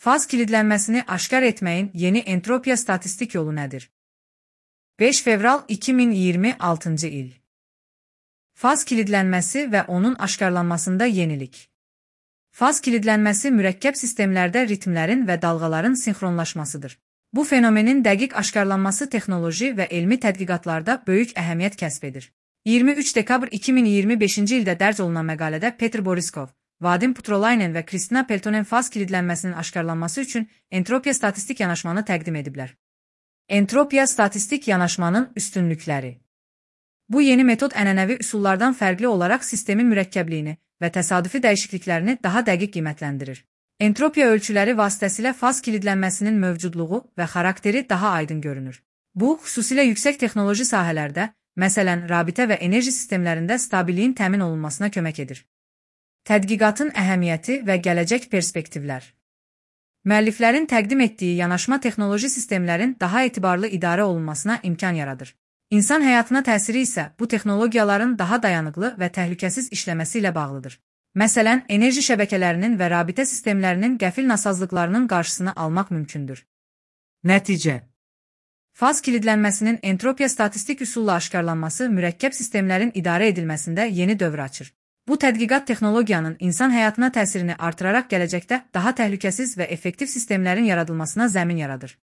Faz kilidlənməsini aşkar etməyin yeni entropiya statistik yolu nədir? 5 fevral 2026 il. Faz kilidlənməsi və onun aşkarlanmasında yenilik. Faz kilidlənməsi mürəkkəb sistemlərdə ritmlərin və dalğaların sinxronlaşmasıdır. Bu fenomenin dəqiq aşkarlanması texnoloji və elmi tədqiqatlarda böyük əhəmiyyət kəsb edir. 23 dekabr 2025-ci ildə dərc olunan məqalədə Petr Boriskov, Vadim Putrolaynen və Kristina Peltonen faz kilidlənməsinin aşkarlanması üçün entropiya statistik yanaşmanı təqdim ediblər. Entropiya statistik yanaşmanın üstünlükləri. Bu yeni metod ənənəvi üsullardan fərqli olaraq sistemin mürəkkəbliyini və təsadüfi dəyişikliklərini daha dəqiq qiymətləndirir. Entropiya ölçüləri vasitəsilə faz kilidlənməsinin mövcudluğu və xarakteri daha aydın görünür. Bu, xüsusilə yüksək texnoloji sahələrdə, məsələn, rabitə və enerji sistemlərində stabilliyin təmin olunmasına kömək edir. Tədqiqatın əhəmiyyəti və gələcək perspektivlər. Müəlliflərin təqdim etdiyi yanaşma texnoloji sistemlərin daha etibarlı idarə olunmasına imkan yaradır. İnsan həyatına təsiri isə bu texnologiyaların daha dayanıqlı və təhlükəsiz işləməsi ilə bağlıdır. Məsələn, enerji şəbəkələrinin və rabitə sistemlərinin qəfil nasazlıqlarının qarşısını almaq mümkündür. Nəticə. Faz kilidlənməsinin entropiya statistik üsulla aşkarlanması mürəkkəb sistemlərin idarə edilməsində yeni dövr açır. Bu tədqiqat texnologiyanın insan həyatına təsirini artıraraq gələcəkdə daha təhlükəsiz və effektiv sistemlərin yaradılmasına zəmin yaradır.